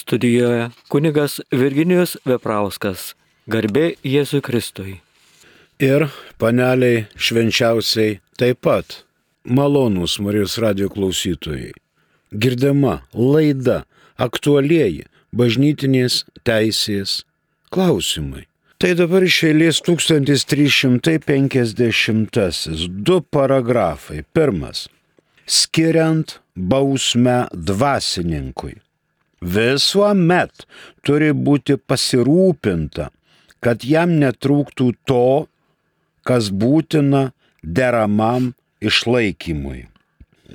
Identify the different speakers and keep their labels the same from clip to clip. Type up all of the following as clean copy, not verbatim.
Speaker 1: Studijoje kunigas Virginijus Veprauskas. Garbė Jėzui Kristui.
Speaker 2: Ir paneliai švenčiausiai taip pat. Malonūs Marijos radijo klausytojai. Girdima laida aktualieji bažnytinės teisės klausimai. Tai dabar iš eilės 1350. 2 paragrafai. Pirmas. Skiriant bausmę dvasininkui. Visuomet turi būti pasirūpinta, kad jam netrūktų to, kas būtina deramam išlaikymui.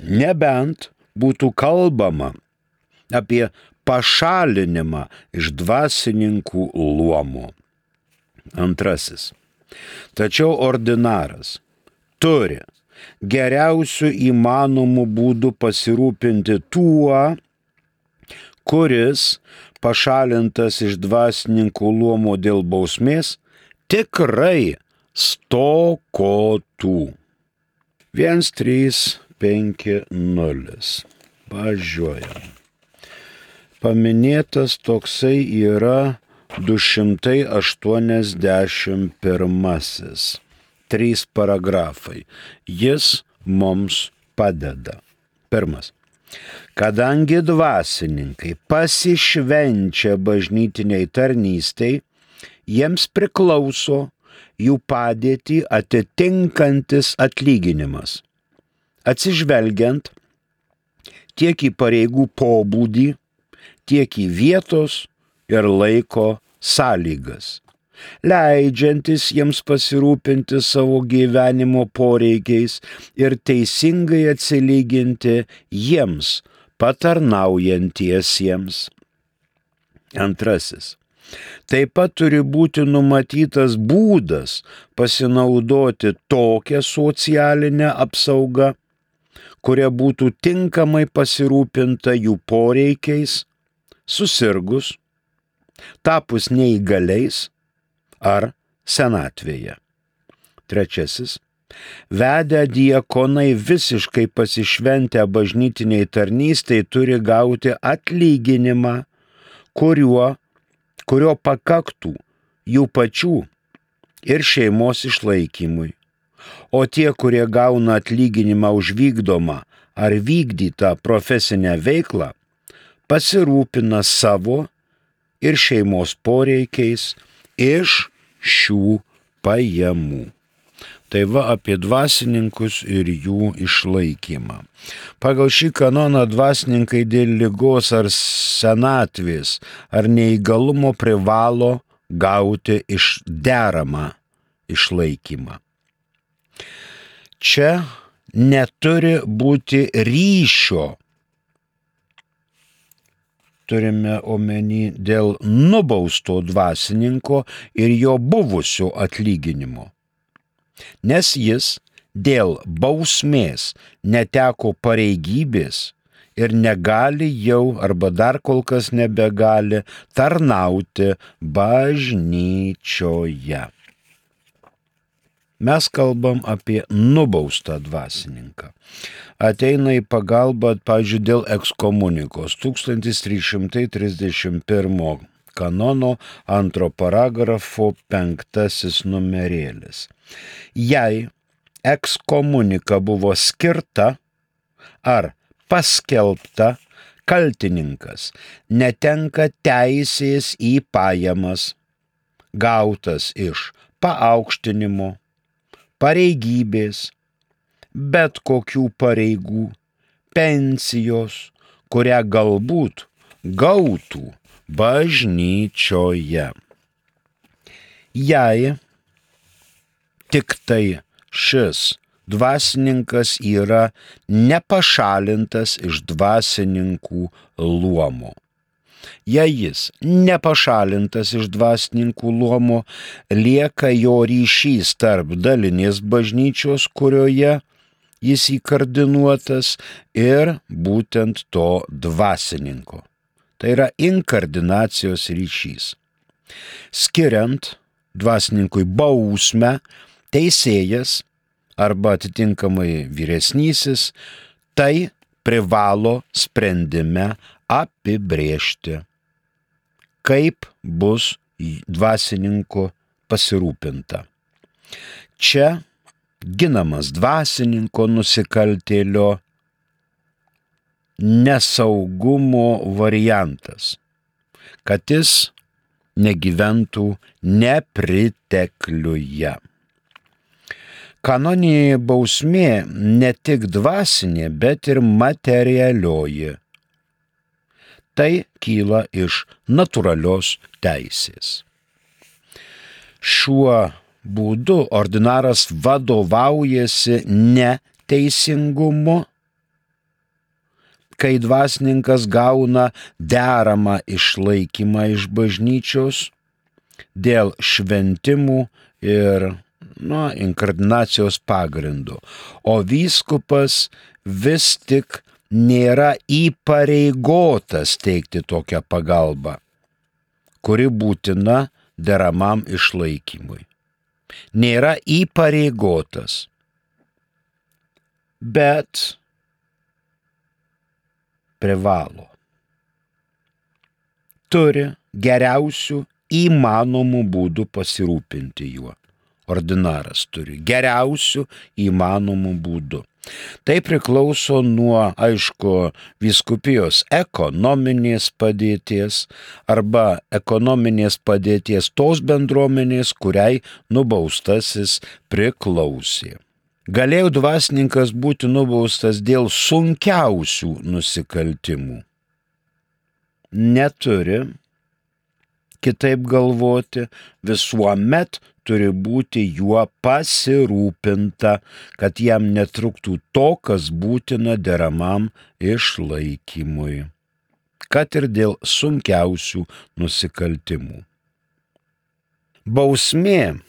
Speaker 2: Nebent būtų kalbama apie pašalinimą iš dvasininkų luomo. Antrasis. Tačiau ordinaras turi geriausių įmanomų būdų pasirūpinti tuo, kuris pašalintas iš dvasininkų luomo dėl bausmės tikrai stokotų. 1.3.5.0. Važiuojam. Paminėtas toksai yra 281. 3 paragrafai. Jis mums padeda. Pirmas. Kadangi dvasininkai pasišvenčia bažnytiniai tarnystei, jiems priklauso jų padėtį atitinkantis atlyginimas, atsižvelgiant tiek į pareigų pobūdį, tiek į vietos ir laiko sąlygas, leidžiantis jiems pasirūpinti savo gyvenimo poreikiais ir teisingai atsilyginti jiems patarnaujantiesiems. Antrasis. Taip pat turi būti numatytas būdas pasinaudoti tokią socialinę apsaugą, kuria būtų tinkamai pasirūpinta jų poreikiais, susirgus, tapus neįgaliais ar senatvėje. Trečiasis. Vedę diakonai visiškai pasišventę bažnytiniai tarnystei turi gauti atlyginimą, kurio pakaktų jų pačių ir šeimos išlaikymui. O tie, kurie gauna atlyginimą už vykdomą ar vykdytą profesinę veiklą, pasirūpina savo ir šeimos poreikiais iš šių pajamų. Tai va apie dvasininkus ir jų išlaikymą. Pagal šį kanoną dvasininkai dėl ligos ar senatvės ar neįgalumo privalo gauti deramą išlaikymą. Čia neturi būti ryšio, turime omeny dėl nubausto dvasininko ir jo buvusio atlyginimo. Nes jis dėl bausmės neteko pareigybės ir negali jau arba dar kol kas nebegali tarnauti bažnyčioje. Mes kalbam apie nubaustą dvasininką. Ateina į pagalbą, pavyzdžiui, dėl ekskomunikos 1331 kanono 2 paragrafo 5 numerėlis. Jei ekskomunika buvo skirta ar paskelbta, kaltininkas netenka teisės į pajamas, gautas iš paaukštinimo, pareigybės, bet kokių pareigų, pensijos, kurią galbūt gautų bažnyčioje. Jei tik tai šis dvasininkas yra nepašalintas iš dvasininkų luomo. Jei jis nepašalintas iš dvasininkų luomo, lieka jo ryšys tarp dalinės bažnyčios, kurioje jis įkardinuotas, ir būtent to dvasininko. Tai yra inkardinacijos ryšys. Skiriant dvasininkui bausmę, teisėjas arba atitinkamai vyresnysis tai privalo sprendime apibrėžti. kaip bus dvasininku pasirūpinta. Čia ginamas dvasininko nusikaltėlio nesaugumo variantas, kad jis negyventų nepritekliuje. Kanoninė bausmė ne tik dvasinė, bet ir materialioji. Tai kyla iš natūralios teisės. Šiuo būdu ordinaras vadovaujasi ne teisingumu, kai dvasininkas gauna deramą išlaikymą iš bažnyčios dėl šventimų ir inkardinacijos pagrindų, o vyskupas vis tik nėra įpareigotas teikti tokią pagalbą, kuri būtina deramam išlaikymui. Nėra įpareigotas, bet privalo. Turi geriausių įmanomų būdų pasirūpinti juo. Ordinaras turi geriausių įmanomų būdų. Tai priklauso nuo, aišku, vyskupijos ekonominės padėties arba ekonominės padėties tos bendruomenės, kuriai nubaustasis priklausė. Galėjo dvasininkas būti nubaustas dėl sunkiausių nusikaltimų. Neturi kitaip galvoti, visuomet turi būti juo pasirūpinta, kad jam netruktų to, kas būtina deramam išlaikymui, kad ir dėl sunkiausių nusikaltimų. Bausmė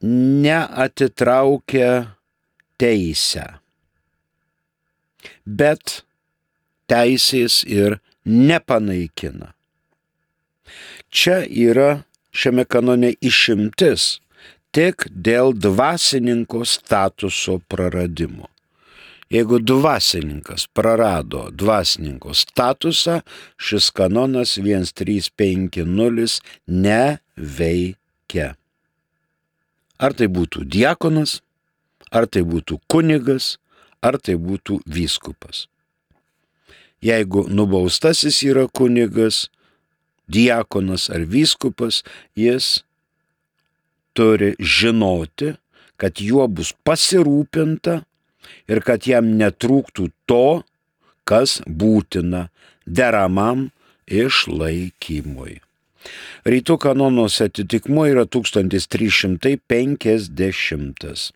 Speaker 2: neatitraukia teisę, bet teisės ir nepanaikina. Čia yra šiame kanone išimtis tik dėl dvasininko statuso praradimo. Jeigu dvasininkas prarado dvasininko statusą, šis kanonas 1350 neveikia. Ar tai būtų diakonas, ar tai būtų kunigas, ar tai būtų vyskupas. Jeigu nubaustasis yra kunigas, diakonas ar vyskupas, jis turi žinoti, kad juo bus pasirūpinta ir kad jam netrūktų to, kas būtina deramam išlaikymui. Rytų kanonuose atitikmuo yra 1350.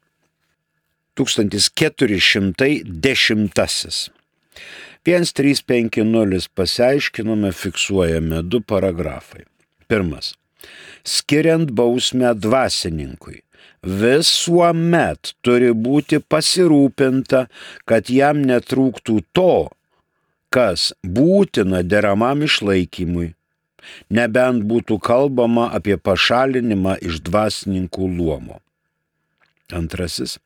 Speaker 2: 1410. 1350 pasiaiškinome, fiksuojame 2 paragrafai. Pirmas. Skiriant bausmę dvasininkui, visuomet turi būti pasirūpinta, kad jam netrūktų to, kas būtina deramam išlaikymui, nebent būtų kalbama apie pašalinimą iš dvasininkų luomo. Antrasis.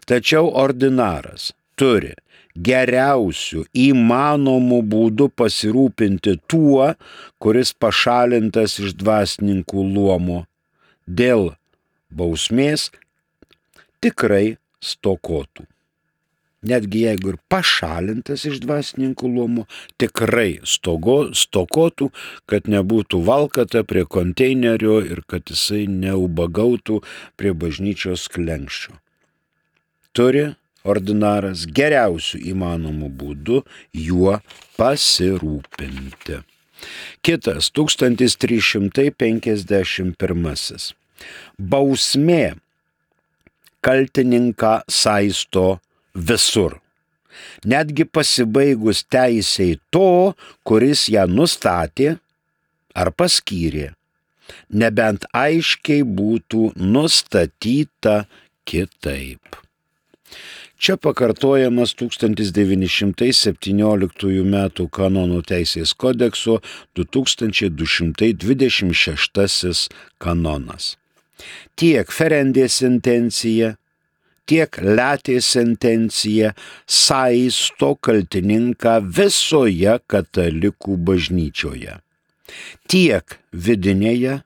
Speaker 2: Tačiau ordinaras turi geriausių įmanomų būdų pasirūpinti tuo, kuris pašalintas iš dvasininkų luomo, dėl bausmės tikrai stokotų. Netgi jeigu ir pašalintas iš dvasininkų luomo, tikrai stokotų, kad nebūtų valkata prie konteinerio ir kad jisai neubagautų prie bažnyčios slenksčio. Turi ordinaras geriausių įmanomų būdų juo pasirūpinti. Kitas 1351. Bausmė kaltininką saisto visur, netgi pasibaigus teisei to, kuris ją nustatė ar paskyrė, nebent aiškiai būtų nustatyta kitaip. Čia pakartojamas 1917 m. kanonų teisės kodekso 2226 kanonas. Tiek ferendė sentencija, tiek letė sentencija saisto kaltininką visoje katalikų bažnyčioje. tiek vidinėje,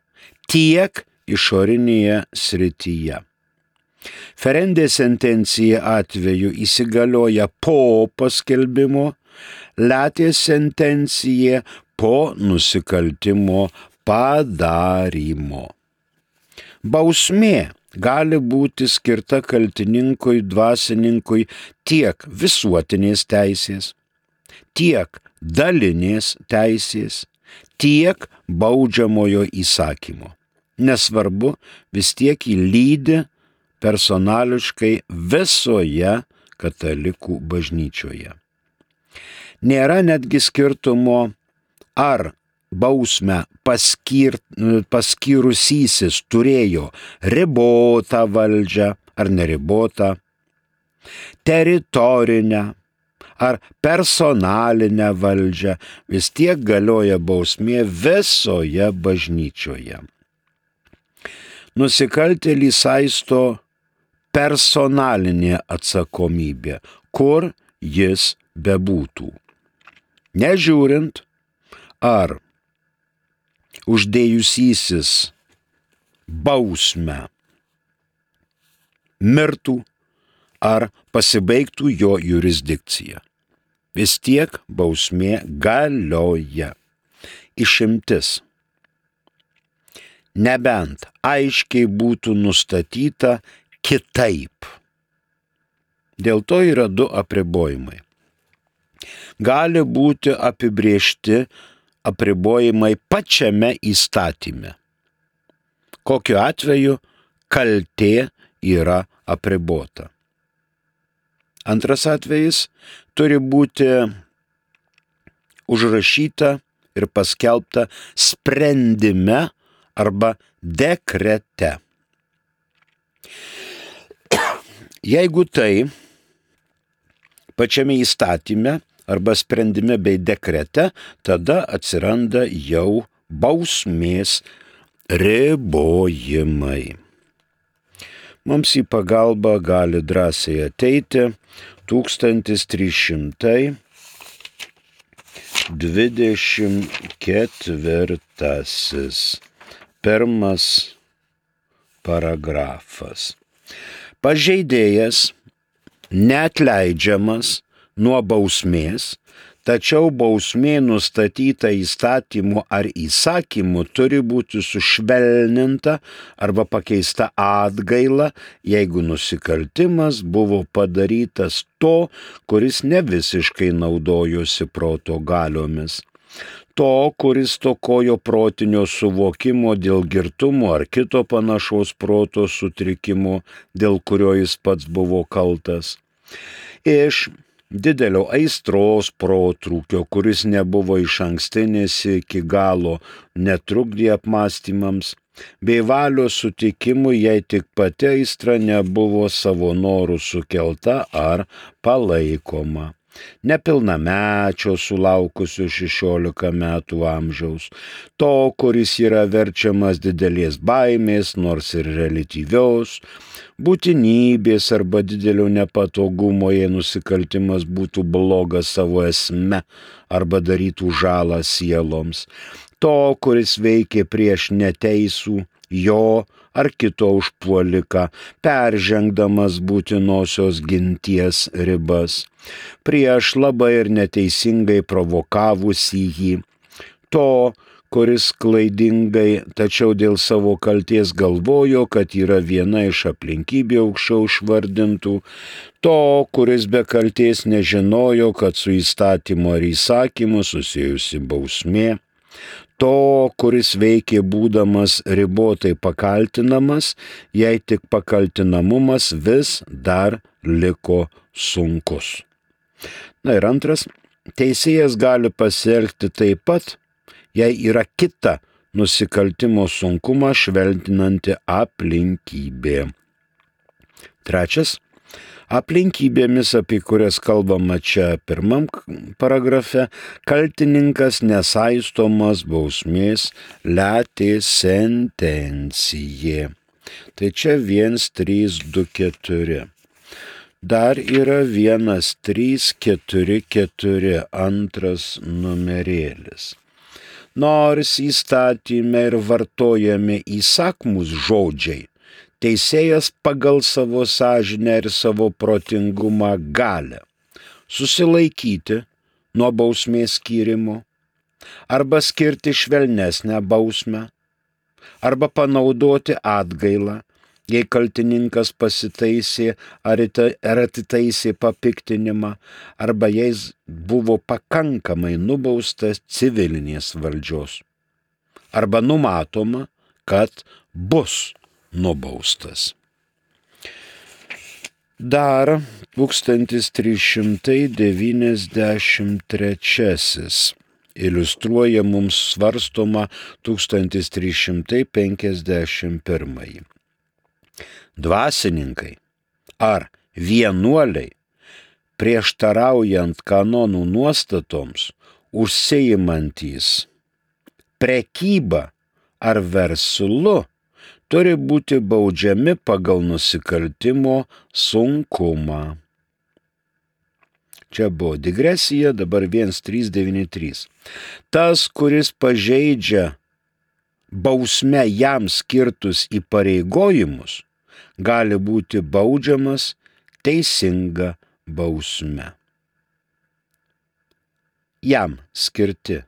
Speaker 2: tiek išorinėje srityje. Ferendė sentencija atveju įsigalioja po paskelbimo, letės sentencija po nusikaltimo padarymo. Bausmė gali būti skirta kaltininkui, dvasininkui tiek visuotinės teisės, tiek dalinės teisės, tiek baudžiamojo įsakymo. Nesvarbu, vis tiek jį lydi personališkai visoje katalikų bažnyčioje. Nėra netgi skirtumo, ar bausmę paskyrusysis turėjo ribotą valdžią ar neribotą, teritorinę ar personalinę valdžią, vis tiek galioja bausmė visoje bažnyčioje. Nusikaltėlį saisto personalinė atsakomybė, kur jis bebūtų. Nežiūrint, ar uždėjusysis bausmę mirtų, ar pasibaigtų jo jurisdikcija. Vis tiek bausmė galioja. Išimtis. Nebent aiškiai būtų nustatyta kitaip. Dėl to yra du apribojimai. Gali būti apibrėžti apribojimai pačiame įstatyme. Kokiu atveju kaltė yra apribota. Antras atvejis turi būti užrašyta ir paskelbta sprendime arba dekrete. Jeigu tai pačiame įstatyme arba sprendime bei dekrete, tada atsiranda jau bausmės ribojimai. Mums į pagalbą gali drąsiai ateiti 1324 pirmas paragrafas. Pažeidėjas neatleidžiamas nuo bausmės, tačiau bausmė nustatyta įstatymu ar įsakymu turi būti sušvelninta arba pakeista atgaila, jeigu nusikaltimas buvo padarytas to, kuris ne visiškai naudojosi proto galiomis. To, kuris stokojo protinio suvokimo dėl girtumo ar kito panašaus proto sutrikimo, dėl kurio jis pats buvo kaltas. Iš didelio aistros protrūkio, kuris nebuvo išankstinis iki galo, netrukdė apmąstymams, bei valios sutikimui, jei tik pati aistra nebuvo savo norų sukelta ar palaikoma. Nepilnamečio sulaukusio 16 metų amžiaus, to, kuris yra verčiamas didelės baimės, nors ir reliatyvios, būtinybės arba didelio nepatogumo, jei nusikaltimas būtų blogas savo esme arba darytų žalą sieloms, to, kuris veikė prieš neteisų, jo ar kito užpuoliką, peržengdamas būtinosios ginties ribas, prieš labai ir neteisingai provokavusį jį, to, kuris klaidingai, tačiau dėl savo kalties galvojo, kad yra viena iš aplinkybių aukščiau išvardintų, to, kuris be kalties nežinojo, kad su įstatymu ar įsakymu susijusi bausmė, to, kuris veikė būdamas ribotai pakaltinamas, jei tik pakaltinamumas vis dar liko sunkus. Na ir antras, teisėjas gali pasielgti taip pat, jei yra kita nusikaltimo sunkumą švelninanti aplinkybė. Trečias, aplinkybėmis, apie kurias kalbama čia pirmam paragrafe, kaltininkas nesaistomas bausmės letės sentencija. Tai čia 1, 3, 2, 4. Dar yra 1, 3, 4, 4 antras numerėlis. Nors įstatyme ir vartojami įsakmus žodžiai, teisėjas pagal savo sąžinę ir savo protingumą gali susilaikyti nuo bausmės skyrimo, arba skirti švelnesnę bausmę, arba panaudoti atgailą, jei kaltininkas pasitaisė ar atitaisė papiktinimą, arba jais buvo pakankamai nubaustas civilinės valdžios, arba numatoma, kad bus nubaustas. Dar 1393 iliustruoja mums svarstoma 1351. Dvasininkai ar vienuoliai, prieštaraujant kanonų nuostatoms, užsiimantys prekyba ar verslu, turi būti baudžiami pagal nusikaltimo sunkumą. Čia buvo digresija, dabar 1393. Tas, kuris pažeidžia bausme jam skirtus įpareigojimus, gali būti baudžiamas teisinga bausme. Jam skirti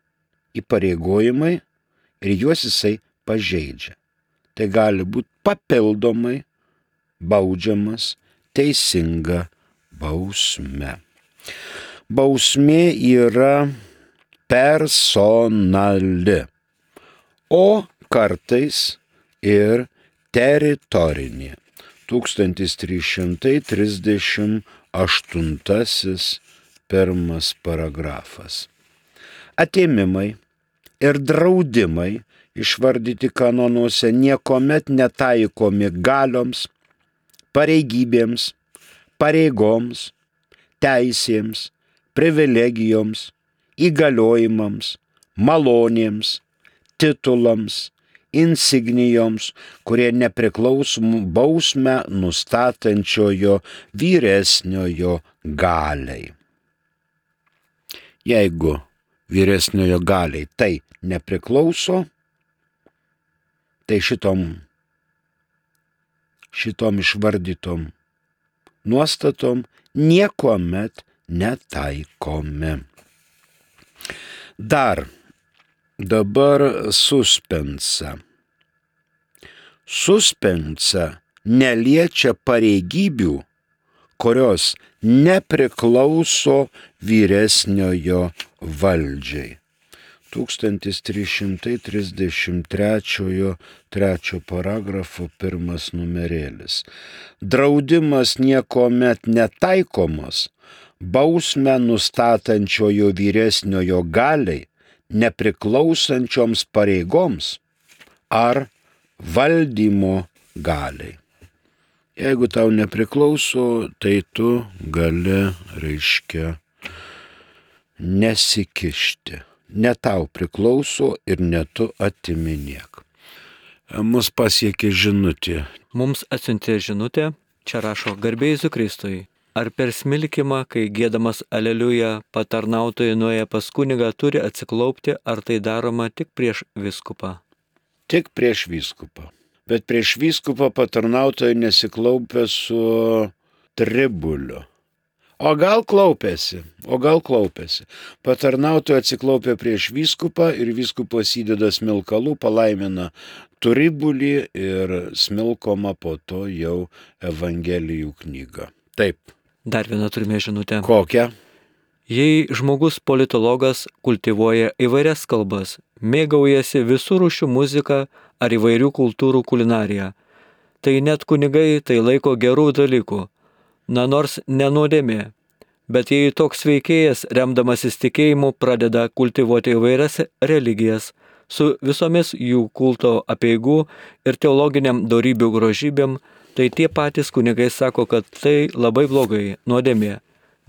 Speaker 2: įpareigojimai ir juos jisai pažeidžia. Tai gali būti papildomai baudžiamas teisinga bausme. Bausmė yra personali, o kartais ir teritorinė. 1338 pirmas paragrafas. Atėmimai ir draudimai išvardyti kanonuose niekuomet netaikomi galioms, pareigybėms, pareigoms, teisėms, privilegijoms, įgaliojimams, malonėms, titulams, insignijoms, kurie nepriklauso bausmę nustatančiojo vyresniojo galiai. Jeigu vyresniojo galiai tai nepriklauso, tai šitom išvardytom nuostatom niekuomet netaikomi. Dabar suspensa. Suspensa neliečia pareigybių, kurios nepriklauso vyresniojo valdžiai. 1333 3 paragrafo 1 numerėlis. Draudimas niekuomet netaikomas bausmę nustatančiojo vyresniojo galiai, nepriklausančioms pareigoms ar valdymo galiai. Jeigu tau nepriklauso, tai tu gali, nesikišti. Ne tau priklauso ir ne tu atiminėk. Mus pasiekė žinutė.
Speaker 1: Mums atsiuntė žinutė, čia rašo garbė Jėzui Kristui. Ar per smilkimą, kai giedamas aleliuja, patarnautojai nuėję pas kunigą turi atsiklaupti, ar tai daroma tik prieš vyskupą?
Speaker 2: Tik prieš vyskupą. Bet prieš vyskupą patarnautojai nesiklaupia su tribuliu. O gal klaupėsi. Patarnautojai atsiklaupia prieš vyskupą ir vyskupas įdeda smilkalų, palaimina tribulį ir smilkoma po to jau Evangelijų knyga. Taip.
Speaker 1: Dar vieną turime žinutę.
Speaker 2: Kokią?
Speaker 1: Jei žmogus politologas kultivuoja įvairias kalbas, mėgaujasi visų rūšių muziką ar įvairių kultūrų kulinariją, tai net kunigai tai laiko gerų dalykų. Na nors nenuodėmė, bet jei toks veikėjas, remdamasis tikėjimu, pradeda kultivuoti įvairias religijas su visomis jų kulto apeigų ir teologiniam dorybių grožybėm, tai tie patys kunigai sako, kad tai labai blogai, nuodėmė.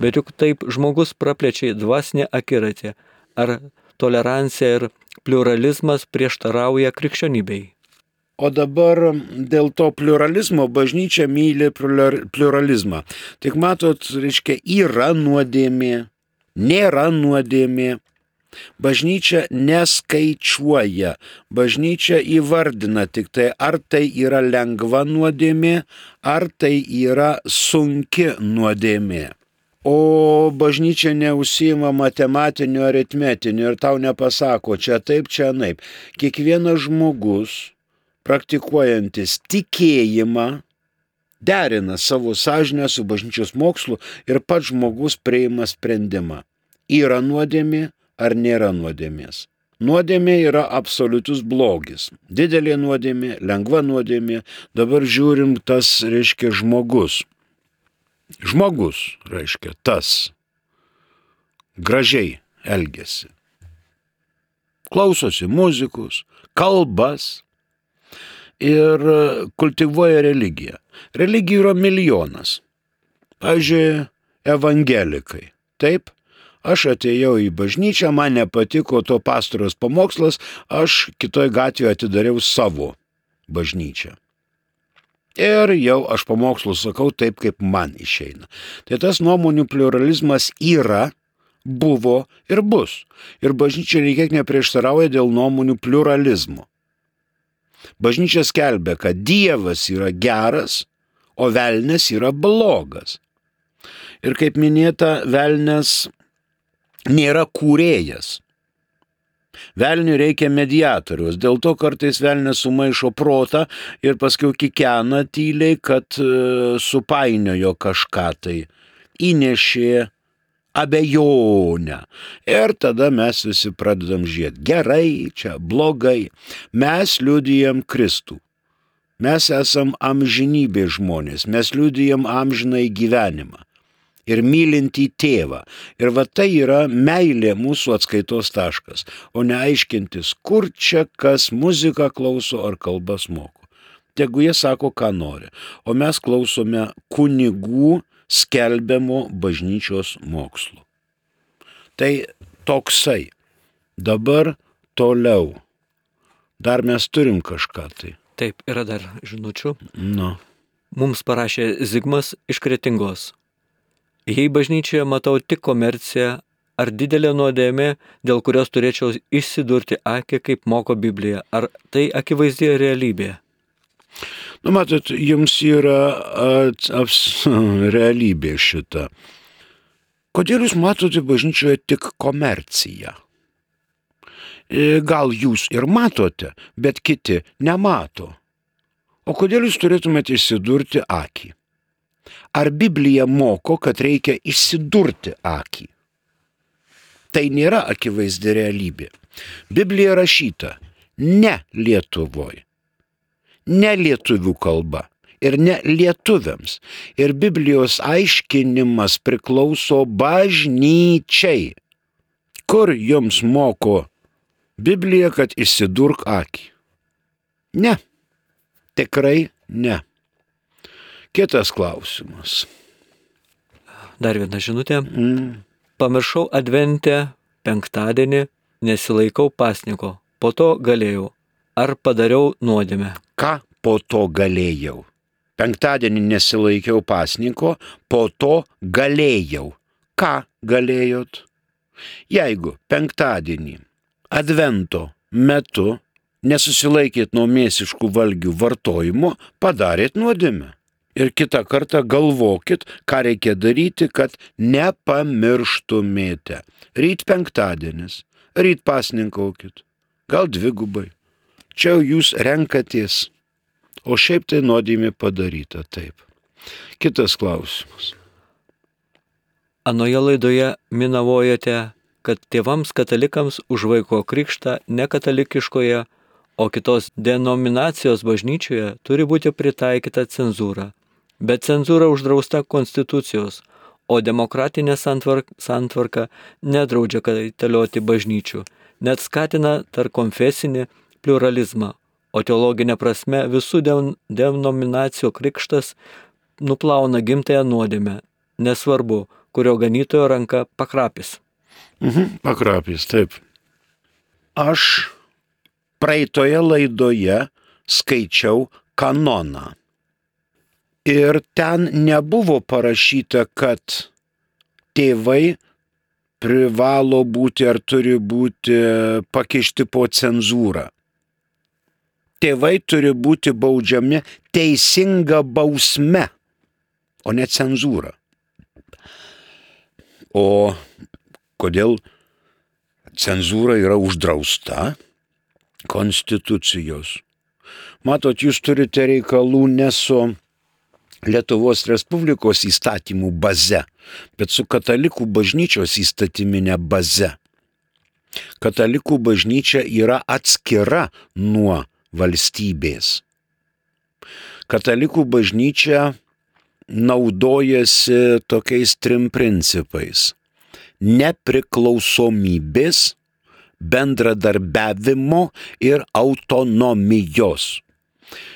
Speaker 1: Bet juk taip žmogus praplečia dvasinę akiratį, ar tolerancija ir pliuralizmas prieštarauja krikščionybei.
Speaker 2: O dabar dėl to pliuralizmo bažnyčia myli pliuralizmą. Tik matot, yra nuodėmė, nėra nuodėmė. Bažnyčia neskaičiuoja, bažnyčia įvardina tik tai, ar tai yra lengva nuodėmė, ar tai yra sunki nuodėmė. O bažnyčia neužsiima matematiniu, aritmetiniu ir tau nepasako, čia taip, čia anaip. Kiekvienas žmogus, praktikuojantis tikėjimą, derina savo sąžinę su bažnyčios mokslu ir pats žmogus priima sprendimą. Yra nuodėmė ar nėra nuodėmės. Nuodėmė yra absoliutus blogis. Didelė nuodėmė, lengva nuodėmė. Dabar žiūrim, tas reiškia žmogus. Žmogus, reiškia, tas gražiai elgiasi. Klausosi muzikus, kalbas ir kultivuoja religiją. Religijų yra milijonas. Pavyzdžiui, evangelikai. Taip, aš atėjau į bažnyčią, man nepatiko to pastoriaus pamokslas, aš kitoj gatvėje atidariau savo bažnyčią. Ir jau aš pamokslus sakau taip, kaip man išeina. Tai tas nuomonių pluralizmas yra, buvo ir bus. Ir bažnyčia niekiek neprieštarauja dėl nuomonių pluralizmo. Bažnyčia skelbia, kad Dievas yra geras, o velnias yra blogas. Ir kaip minėta, velnias nėra kūrėjas. Velniui reikia mediatoriaus, dėl to kartais velnias sumaišo protą ir paskui kikena tyliai, kad supainiojo kažką tai, įnešė abejonę. Ir tada mes visi pradedam žiūrėti, gerai, čia blogai. Mes liudijam Kristų. Mes esam amžinybės žmonės, mes liudijam amžinai gyvenimą. Ir mylintį tėvą. Ir va tai yra meilė mūsų atskaitos taškas, o ne aiškintis, kur čia kas muziką klauso ar kalbas moko. Tegu jie sako, ką nori, o mes klausome kunigų skelbiamo bažnyčios mokslo. Tai toksai. Dabar toliau. Dar mes turim kažką tai.
Speaker 1: Taip, yra dar žinučių.
Speaker 2: Nu.
Speaker 1: Mums parašė Zigmas iš Kretingos. Jei bažnyčioje matau tik komerciją, ar didelė nuodėmė, dėl kurios turėčiau išsidurti akį, kaip moko Biblija, ar tai akivaizdi realybė?
Speaker 2: Nu, matot, jums yra realybė šita. Kodėl jūs matote bažnyčioje tik komerciją? Gal jūs ir matote, bet kiti nemato. O kodėl jūs turėtumėte išsidurti akį? Ar Biblija moko, kad reikia išsidurti akį? Tai nėra akivaizdi realybė. Biblija rašyta ne Lietuvoje, ne lietuvių kalba ir ne lietuviams. Ir Biblijos aiškinimas priklauso bažnyčiai. Kur jums moko Biblija, kad išsidurk akį? Ne, tikrai ne. Kitas klausimas.
Speaker 1: Dar viena žinutė. Pamiršau adventę penktadienį, nesilaikau pasniko. Po to galėjau. Ar padariau nuodėmę?
Speaker 2: Ką po to galėjau? Penktadienį nesilaikiau pasniko, po to galėjau. Ką galėjot? Jeigu penktadienį advento metu nesusilaikėt nuo mėsiškų valgių vartojimo, padarėt nuodėmę. Ir kitą kartą galvokit, ką reikia daryti, kad nepamirštumėte. Ryt penktadienis, ryt pasninkaukit, gal dvigubai. Čia jūs renkatės, o šiaip tai nuodėmė padaryta taip. Kitas klausimas.
Speaker 1: Anoje laidoje minavojote, kad tėvams katalikams už vaiko krikštą nekatalikiškoje, o kitos denominacijos bažnyčioje turi būti pritaikyta cenzūra. Bet cenzūra uždrausta konstitucijos, o demokratinė santvarka nedraudžia kaitalioti bažnyčių, net skatina tarpkonfesinį pluralizmą, o teologinė prasme visų denominacijų krikštas nuplauna gimtąją nuodėmę, nesvarbu, kurio ganytojo ranka pakrapis.
Speaker 2: Pakrapis, taip. Aš praeitoje laidoje skaičiau kanoną. Ir ten nebuvo parašyta, kad tėvai privalo būti ar turi būti pakišti po cenzūrą. Tėvai turi būti baudžiami teisinga bausme, o ne cenzūra. O kodėl cenzūra yra uždrausta konstitucijos? Matot, jūs turite reikalų ne su Lietuvos Respublikos įstatymų baze, bet su katalikų bažnyčios įstatyminė baze. Katalikų bažnyčia yra atskira nuo valstybės. Katalikų bažnyčia naudojasi tokiais 3 principais: nepriklausomybės, bendradarbiavimo ir autonomijos.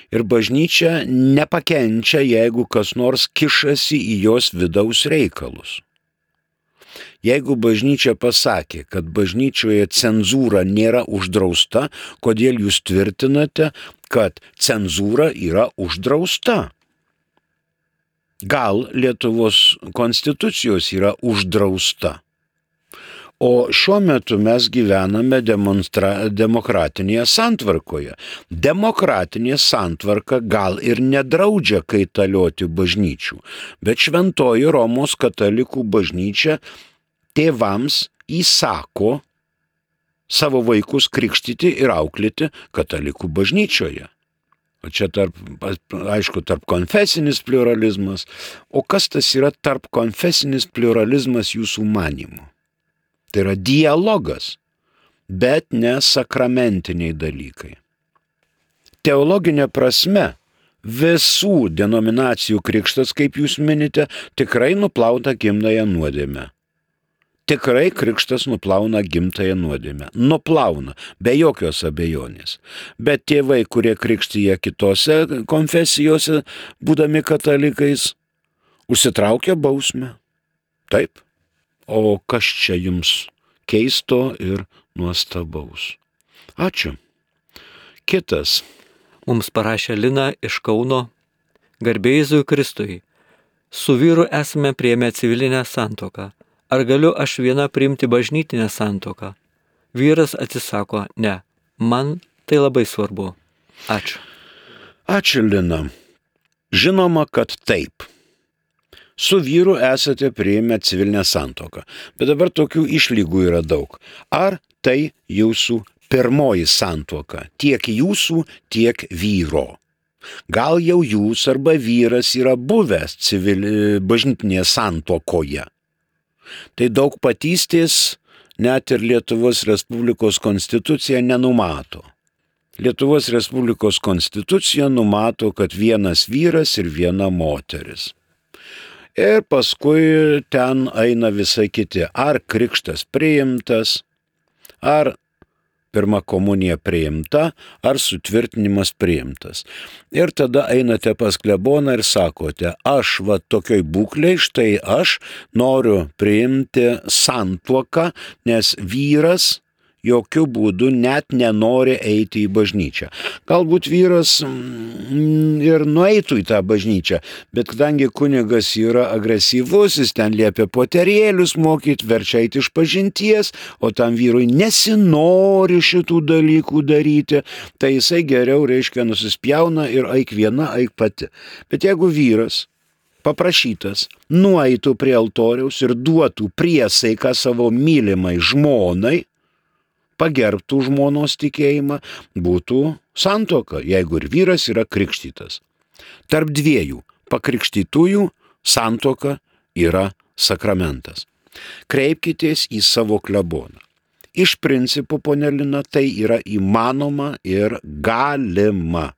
Speaker 2: Ir bažnyčia nepakenčia, jeigu kas nors kišasi į jos vidaus reikalus. Jeigu bažnyčia pasakė, kad bažnyčioje cenzūra nėra uždrausta, kodėl jūs tvirtinate, kad cenzūra yra uždrausta? Gal Lietuvos konstitucijos yra uždrausta? O šiuo metu mes gyvename demokratinėje santvarkoje. Demokratinė santvarka gal ir nedraudžia kaitalioti bažnyčių, bet Šventoji Romos katalikų bažnyčia tėvams įsako savo vaikus krikštyti ir auklėti katalikų bažnyčioje. O čia tarp konfesinis pluralizmas. O kas tas yra tarp konfesinis pluralizmas jūsų manymu? Tai yra dialogas, bet ne sakramentiniai dalykai. Teologinė prasme, visų denominacijų krikštas, kaip jūs minite, tikrai nuplauta gimtąją nuodėmę. Tikrai krikštas nuplauna gimtąją nuodėmę. Nuplauna, be jokios abejonės. Bet tėvai, kurie krikštyje kitose konfesijose, būdami katalikais, užsitraukia bausmę. Taip. O kas čia jums keisto ir nuostabaus? Ačiū. Kitas.
Speaker 1: Mums parašė Lina iš Kauno. Garbė Jėzui Kristui. Su vyru esame priėmę civilinę santuoką. Ar galiu aš viena priimti bažnytinę santuoką? Vyras atsisako, ne. Man tai labai svarbu. Ačiū.
Speaker 2: Ačiū, Lina. Žinoma, kad taip. Su vyru esate priėmę civilinę santuoką, bet dabar tokių išlygų yra daug. Ar tai jūsų pirmoji santuoka, tiek jūsų, tiek vyro? Gal jau jūs arba vyras yra buvęs bažnytinėje santuokoje? Tai daugpatystės net ir Lietuvos Respublikos konstitucija nenumato. Lietuvos Respublikos konstitucija numato, kad vienas vyras ir viena moteris. Ir paskui ten eina visai kiti, ar krikštas priimtas, ar pirma komunija priimta, ar sutvirtinimas priimtas. Ir tada einate pas kleboną ir sakote, aš va tokioj būklei, štai aš noriu priimti santuoką, nes vyras jokių būdų net nenori eiti į bažnyčią. Galbūt vyras ir nueitų į tą bažnyčią, bet kadangi kunigas yra agresyvus, jis ten liepia poterėlius mokyti, verčia eiti iš pažinties, o tam vyrui nesinori šitų dalykų daryti, tai jisai geriau, nusispjauna ir eik viena, eik pati. Bet jeigu vyras paprašytas nueitų prie altoriaus ir duotų priesaiką savo mylimai žmonai, pagerbtų žmonos tikėjimą, būtų santuoka, jeigu ir vyras yra krikštytas. Tarp dviejų pakrikštytųjų santuoka yra sakramentas. Kreipkitės į savo kleboną. Iš principo, ponia Lina, tai yra įmanoma ir galima.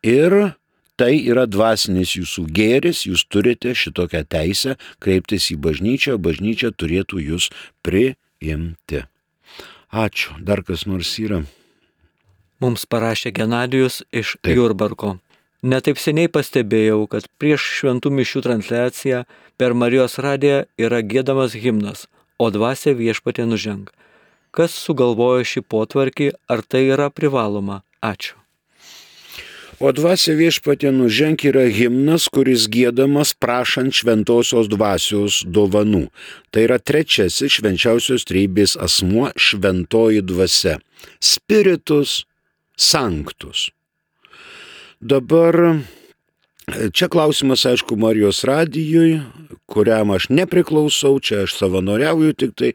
Speaker 2: Ir tai yra dvasinis jūsų gėris, jūs turite šitokią teisę kreiptis į bažnyčią, bažnyčia turėtų jūs priimti. Ačiū. Dar kas nors yra?
Speaker 1: Mums parašė Genadijus iš Jurbarko. Netaip seniai pastebėjau, kad prieš šventų mišių transliaciją per Marijos radiją yra giedamas himnas, o dvasia viešpatie nuženk. Kas sugalvojo šį potvarkį, ar tai yra privaloma? Ačiū.
Speaker 2: O dvasia viešpatie nuženk yra himnas, kuris giedamas prašant šventosios dvasios dovanų. Tai yra trečiasis švenčiausios trejybės asmuo šventoji dvasia. Spiritus sanctus. Dabar čia klausimas, aišku, Marijos radijui, kuriam aš nepriklausau, čia aš savanoriauju, tik tai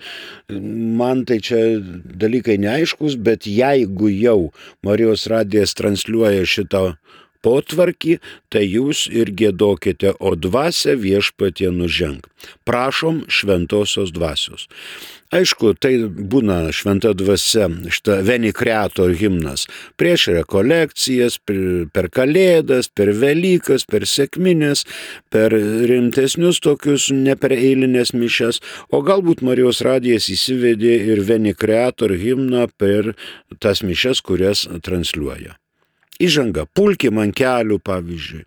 Speaker 2: man tai čia dalykai neaiškus, bet jeigu jau Marijos radijas transliuoja šitą potvarkį, tai jūs ir giedokite, o dvasia viešpatie nuženk. Prašom šventosios dvasios. Aišku, tai būna šventa dvasia, šitą Veni Creator himnas, prieš rekolekcijas, per Kalėdas, per Velykas, per sekmines, per rimtesnius tokius, ne per eilinės mišias, o galbūt Marijos radijas įsivedė ir Veni Creator himną per tas mišias, kurias transliuoja. Įžanga, pulkim ant kelių, pavyzdžiui.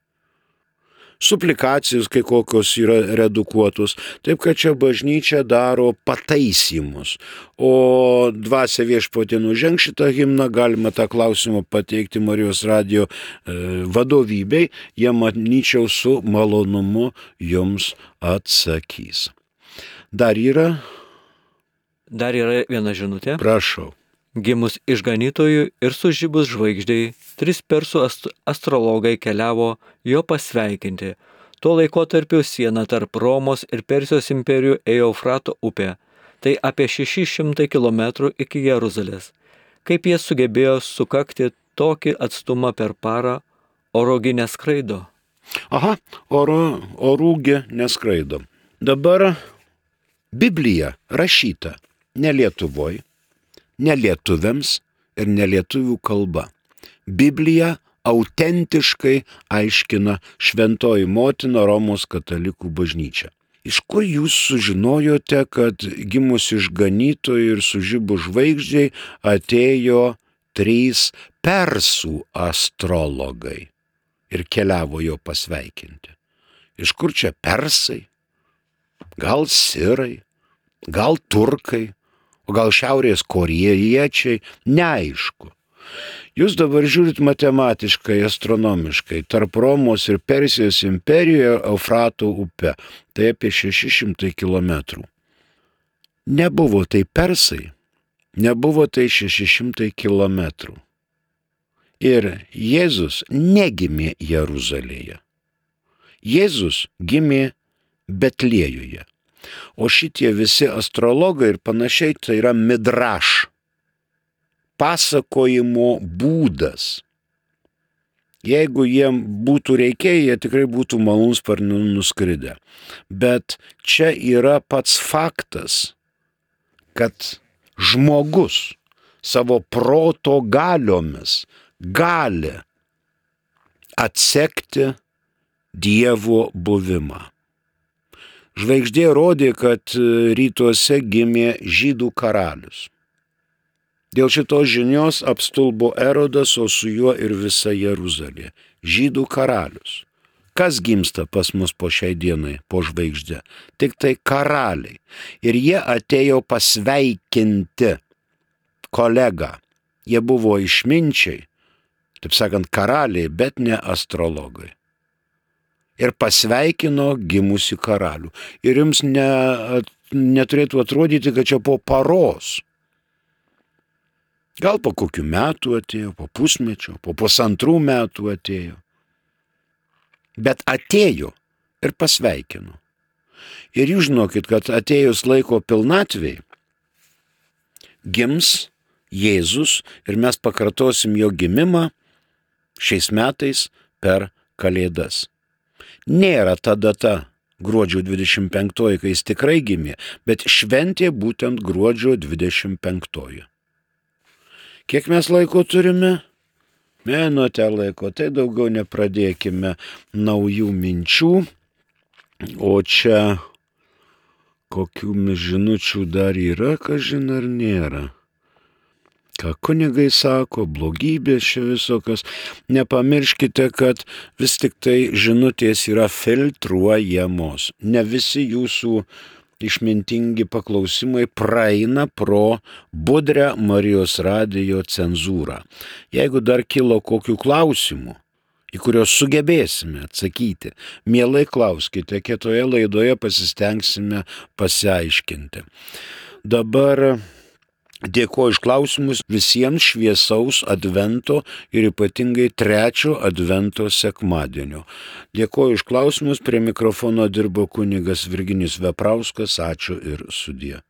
Speaker 2: Suplikacijos kai kokios yra redukuotos, taip kad čia bažnyčia daro pataisymus, o dvasia viešpatie nuženk šitą himną galima tą klausimą pateikti Marijos radijo vadovybei, jie manyčiau su malonumu jums atsakys. Dar yra
Speaker 1: viena žinutė.
Speaker 2: Prašau.
Speaker 1: Gimus išganytojui ir sužibus žvaigždei, 3 persų astrologai keliavo jo pasveikinti. Tuo laikotarpiu siena tarp Romos ir Persijos imperijų ėjo Eufrato upė, tai apie 600 km iki Jeruzalės. Kaip jie sugebėjo sukakti tokį atstumą per parą, orugi neskraido?
Speaker 2: Aha, orūgi neskraido. Dabar Biblija rašyta ne Lietuvoj, ne lietuviams ir ne lietuvių kalba. Biblija autentiškai aiškina šventoji motina Romos katalikų bažnyčia. Iš kur jūs sužinojote, kad gimus išganytojui ir sužibus žvaigždžiai atėjo 3 persų astrologai ir keliavo jo pasveikinti? Iš kur čia persai? Gal sirai? Gal turkai? O gal šiaurės korėjiečiai, neaišku. Jūs dabar žiūrit matematiškai, astronomiškai, tarp Romos ir Persijos imperijoje Eufrato upe, tai apie 600 km. Nebuvo tai persai, nebuvo tai 600 km. Ir Jėzus negimė Jeruzalėje. Jėzus gimė Betliejuje. O šitie visi astrologai ir panašiai tai yra midraš, pasakojimo būdas. Jeigu jiem būtų reikėję, jie tikrai būtų malūnsparniu nuskridę. Bet čia yra pats faktas, kad žmogus savo proto galiomis gali atsekti Dievo buvimą. Žvaigždė rodė, kad rytuose gimė žydų karalius. Dėl šitos žinios apstulbo Erodas, o su juo ir visa Jeruzalė. Žydų karalius. Kas gimsta pas mus po šiai dienai, po žvaigždė? Tik tai karaliai. Ir jie atėjo pasveikinti kolegą. Jie buvo išminčiai, taip sakant, karaliai, bet ne astrologai. Ir pasveikino gimusi karalių. Ir jums neturėtų atrodyti, kad čia po paros. Gal po kokių metų atėjo, po pusmečio, po 1,5 metų atėjo. Bet atėjo ir pasveikino. Ir jūs žinokit, kad atėjus laiko pilnatvei, gims Jėzus ir mes pakartosim jo gimimą šiais metais per Kalėdas. Nėra ta data gruodžio 25, kai jis tikrai gimė, bet šventė būtent gruodžio 25. Kiek mes laiko turime? Menote laiko, tai daugiau nepradėkime naujų minčių, o čia kokių žinučių dar yra, kažin ar nėra. Ką kunigai sako, blogybės čia visokios. Nepamirškite, kad vis tik tai žinutės yra filtruojamos. Ne visi jūsų išmintingi paklausimai praeina pro budrę Marijos radijo cenzūrą. Jeigu dar kilo kokių klausimų, į kuriuos sugebėsime atsakyti. Mielai klauskite, kitoje laidoje pasistengsime pasiaiškinti. Dabar dėkoju iš klausimus, visiems šviesaus advento ir ypatingai 3 advento sekmadienio. Dėkoju iš klausimus, prie mikrofono dirbo kunigas Virginijus Veprauskas, ačiū ir sudie.